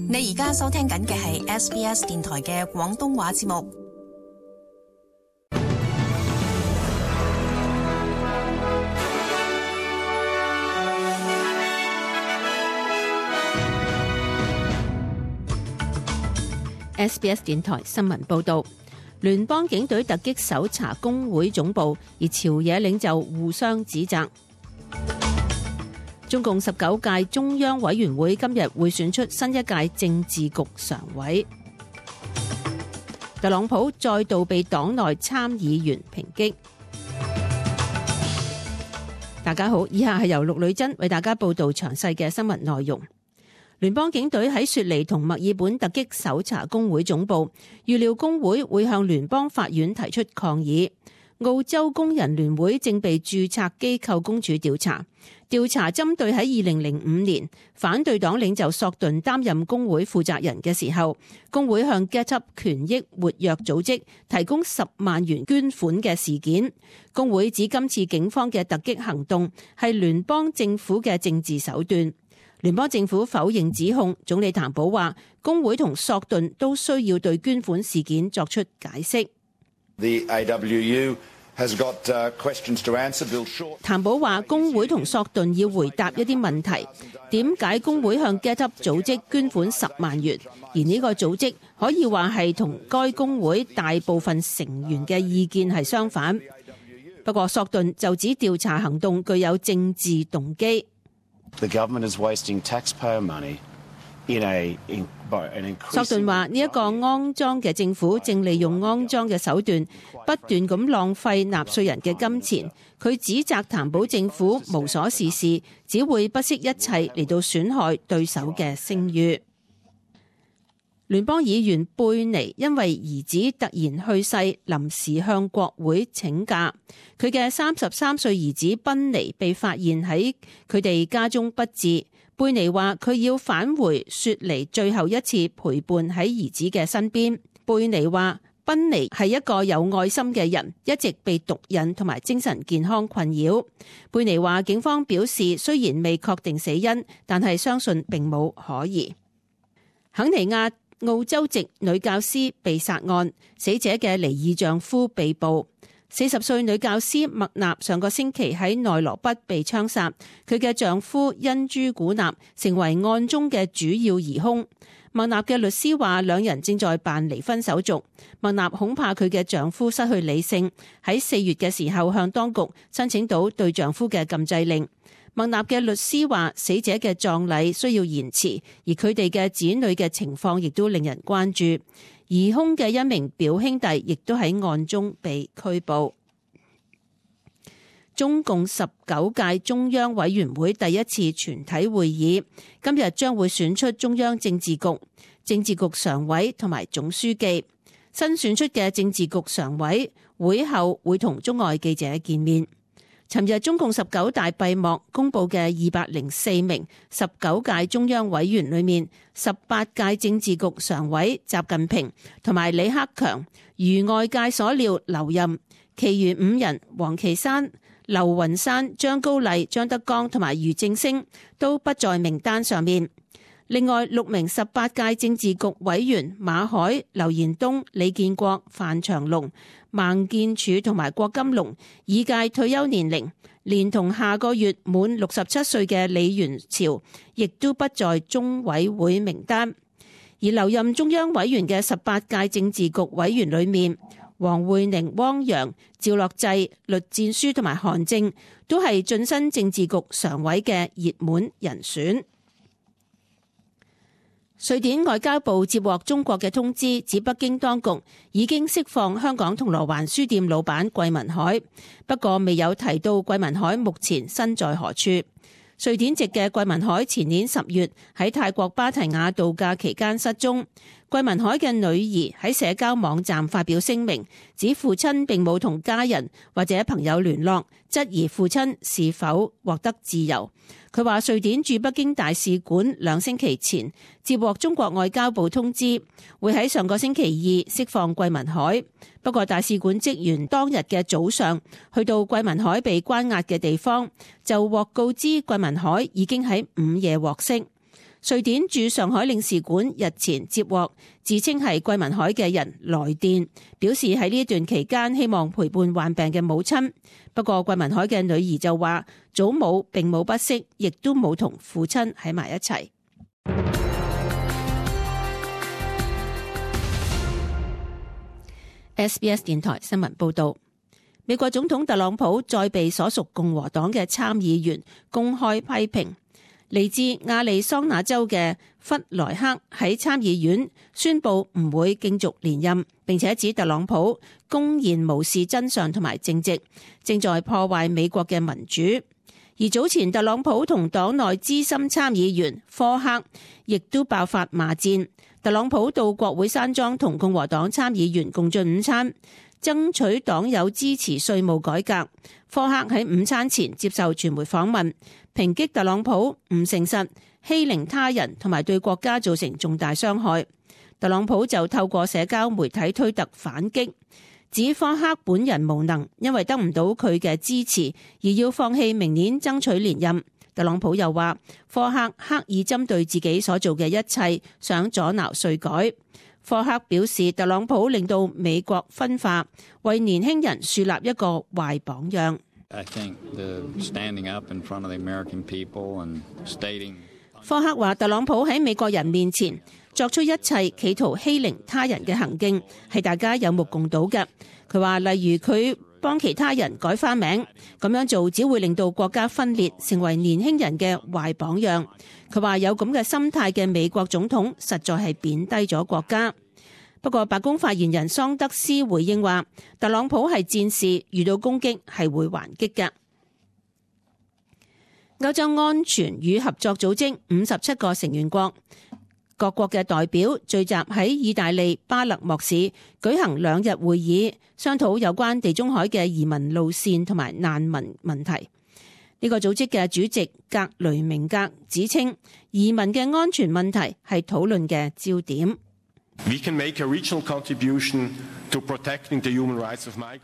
你而家收聽緊嘅係 SBS 電台嘅廣東話節目。SBS 電台新聞報道，聯邦警隊突擊搜查工會總部，而朝野領袖互相指責。中共19屆中央委員會今日會選出新一屆政治局常委。特朗普再度被黨內參議員抨擊。大家好，以下係由陸女真為大家報道詳細嘅新聞內容。聯邦警隊喺雪梨同墨爾本突擊搜查工會總部，預料工會會向聯邦法院提出抗議。澳洲工人聯會正被註冊機構公署調查針對喺2005年反對黨領袖索頓擔任工會負責人嘅時候，工會向 Get Up 權益活躍組織提供10萬元捐款嘅事件。工會指今次警方嘅突擊行動係聯邦政府嘅政治手段。聯邦政府否認指控，總理譚寶話工會同索頓都需要對捐款事件作出解釋。譚寶話工會同索頓要回答一啲問題，點解工會向 Get Up 組織捐款10萬元，而呢個組織可以話係同該工會大部分成員嘅意見係相反。不過索頓就指調查行動具有政治動機。索頓話呢一個骯髒嘅政府正利用骯髒嘅手段不斷咁浪費納稅人嘅金錢。佢指責譚寶政府無所事事，只會不惜一切嚟到損害對手嘅聲譽。聯邦議員貝尼因為兒子突然去世，臨時向國會請假。佢嘅33歲兒子賓尼被發現喺佢哋家中不治。貝尼話佢要返回雪梨最後一次陪伴喺兒子嘅身邊。貝尼話賓尼係一個有愛心嘅人，一直被毒癮同埋精神健康困擾。貝尼話警方表示雖然未確定死因，但係相信並冇可疑。肯尼亞澳洲籍女教師被殺案，死者嘅離異丈夫被捕。40歲女教師麥納上個星期喺內羅畢被槍殺，佢嘅丈夫恩朱古納成為案中嘅主要疑兇。麥納嘅律師話兩人正在辦離婚手續。麥納恐怕佢嘅丈夫失去理性，喺4月嘅時候向當局申請到對丈夫嘅禁制令。麥納嘅律師話死者嘅葬禮需要延遲，而佢哋嘅子女嘅情況亦都令人關注。疑兇嘅一名表兄弟亦都喺案中被拘捕。中共19屆中央委員會第一次全體會議今日將會選出中央政治局常委同埋總書記。新選出嘅政治局常委會後會同中外記者見面。尋日中共19大閉幕公布嘅204名19屆中央委員裏面，18屆政治局常委習近平同埋李克強如外界所料留任，其餘5人王岐山、劉雲山、張高麗、張德江同埋俞正聲都不在名單上面。另外6名18屆政治局委員馬海、劉延東、李建國、范長龍、孟建柱同埋郭金龍已屆退休年齡，連同下個月滿67歲嘅李元朝亦都不在中委會名單。而留任中央委員嘅18屆政治局委員裏面，王滙寧、汪洋、趙樂際、栗戰書同埋韓正都係晉身政治局常委嘅熱門人選。瑞典外交部接獲中國嘅通知，指北京當局已經釋放香港銅鑼灣書店老闆桂民海，不過未有提到桂民海目前身在何處。瑞典籍嘅桂民海前年10月喺泰國芭提雅度假期間失蹤。桂民海嘅女兒喺社交網站發表聲明，指父親並冇同家人或者朋友聯絡，質疑父親是否獲得自由。佢話瑞典駐北京大使館2星期前接獲中國外交部通知，會喺上個星期2釋放桂民海。不過大使館職員當日嘅早上去到桂民海被關押嘅地方，就獲告知桂民海已經喺午夜獲釋。瑞典駐上海領事館日前接獲自稱係桂民海嘅人來電，表示喺呢段期間希望陪伴患病嘅母親。不過桂民海嘅女兒就話，祖母並冇不適，亦都冇同父親喺埋一齊。SBS 電台新聞報道，美國總統特朗普再被所屬共和黨嘅參議員公開批評。嚟自亞利桑那州嘅弗萊克喺參議院宣布唔會競逐連任，並且指特朗普公然無視真相同埋正直，正在破壞美國嘅民主。而早前特朗普同黨內資深參議員科克亦都爆發罵戰。特朗普到國會山莊同共和黨參議員共進午餐，爭取黨友支持稅務改革。科克喺午餐前接受傳媒訪問，抨擊特朗普唔誠實、欺凌他人同埋對國家造成重大傷害。特朗普就透過社交媒體推特反擊，指科克本人無能，因為得唔到佢嘅支持而要放棄明年爭取連任。特朗普又話科克刻意針對自己所做嘅一切，想阻撓稅改。科克表示特朗普令到美國分化，為年輕人樹立一個壞榜樣。科克話特朗普喺美國人面前作出一切企圖欺凌他人嘅行徑，係大家有目共睹嘅。佢話例如佢幫其他人改花名，咁樣做只會令到國家分裂，成為年輕人嘅壞榜樣。佢話有咁嘅心態嘅美國總統實在係貶低咗國家。不過白宮發言人桑德斯回應話，特朗普係戰士，遇到攻擊係會還擊嘅。歐洲安全與合作組織57個成員國，各國嘅代表聚集喺意大利巴勒莫市舉行2日會議，商討有關地中海嘅移民路線同埋難民問題。呢個組織嘅主席格雷明格指稱，移民嘅安全問題係討論嘅焦點。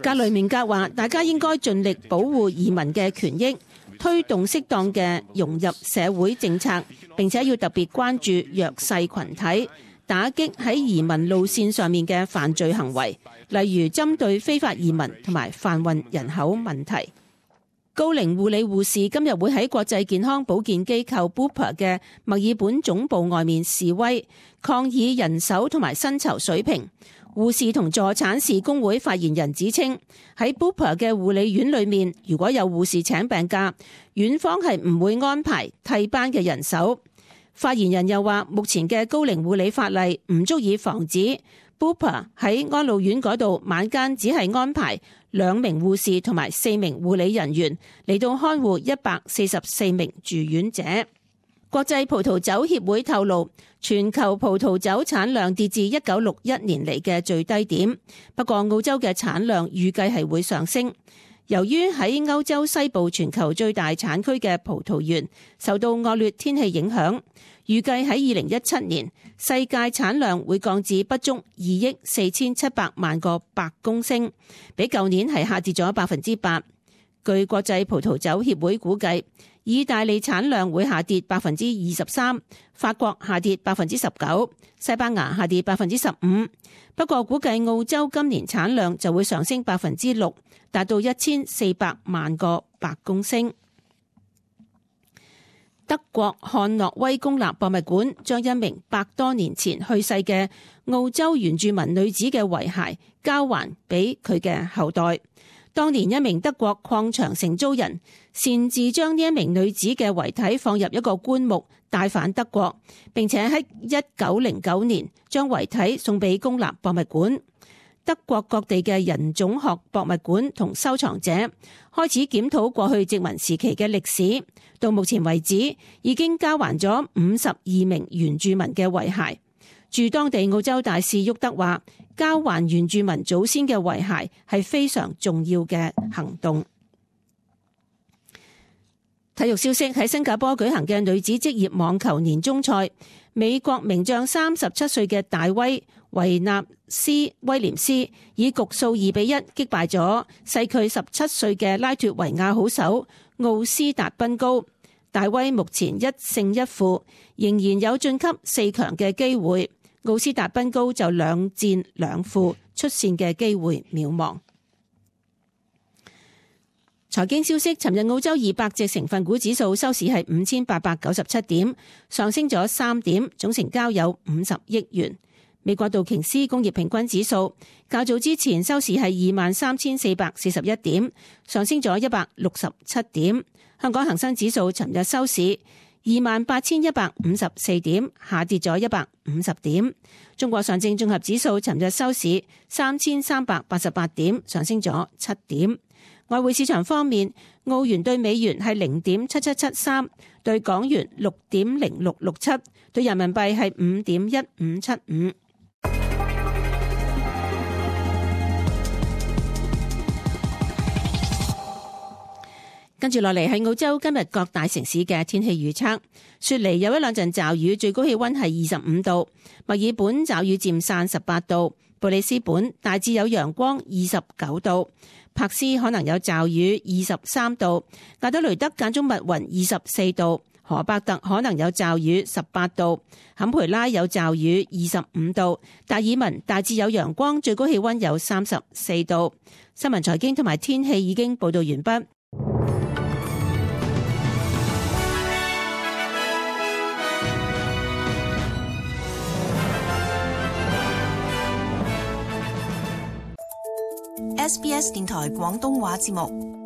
格雷明格話，大家應該盡力保護移民嘅權益，推動適當嘅融入社會政策，並且要特別關注弱勢群體，打擊喺移民路線上面嘅犯罪行為，例如針對非法移民同埋販運人口問題。高齡護理護士今日會喺國際健康保健機構 Bupa 嘅墨爾本總部外面示威，抗議人手同埋薪酬水平。護士同助產士工會發言人指稱，喺 Bupa 嘅護理院裏面，如果有護士請病假，院方係唔會安排替班嘅人手。發言人又話，目前嘅高齡護理法例唔足以防止 Bupa 喺安老院嗰度晚間只係安排2名護士同埋4名護理人員嚟到看護144名住院者。國際葡萄酒協會透露，全球葡萄酒產量跌至1961年嚟嘅最低點，不過澳洲嘅產量預計係會上升。由於喺歐洲西部全球最大產區嘅葡萄園受到惡劣天氣影響，預計喺2017年世界產量會降至不足2億4700萬個白公升，比舊年係下跌咗8%。據國際葡萄酒協會估計，意大利產量會下跌23%，法國下跌19%，西班牙下跌15%。不過估計澳洲今年產量就會上升6%，達到1400萬個白公升。德國漢諾威公立博物館將一名100多年前去世嘅澳洲原住民女子嘅遺骸交還俾佢嘅後代。當年一名德國礦場承租人擅自將呢一名女子嘅遺體放入一個棺木帶返德國，並且喺1909年將遺體送俾公立博物館。德國各地嘅人種學博物館同收藏者開始檢討過去殖民時期嘅歷史，到目前為止已經交還咗52名原住民嘅遺骸。駐當地澳洲大使沃德話，交還原住民祖先嘅遺骸係非常重要嘅行動。體育消息，喺新加坡舉行嘅女子職業網球年終賽，美國名將37歲嘅大威維納斯威廉斯以局數2-1擊敗咗細佢17歲嘅拉脫維亞好手奧斯達賓高。大威目前1勝1負，仍然有晉級4強嘅機會。奧斯達賓高就2戰2負，出線嘅機會渺茫。財經消息，尋日澳洲200隻成分股指數收市係5897點，上升咗3點，總成交有50億元。美國道瓊斯工業平均指數較早之前收市係23,441點，上升咗167點。香港恒生指數尋日收市28,154點，下跌咗150點。中國上證綜合指數尋日收市3,388點，上升咗7點。外匯市場方面，澳元對美元係0.7773，對港元6.0667，對人民幣係5.1575。跟住落嚟係澳洲今日各大城市嘅天氣預測。雪梨有1兩陣驟雨，最高氣溫係25度；墨爾本驟雨漸散18度；布里斯本大致有陽光29度；柏斯可能有驟雨23度；亞德雷德間中密雲24度；荷伯特可能有驟雨18度；坎培拉有驟雨25度；達爾文大致有陽光，最高氣溫有34度。新聞財經同埋天氣已經報道完畢。SBS 電台廣東話節目。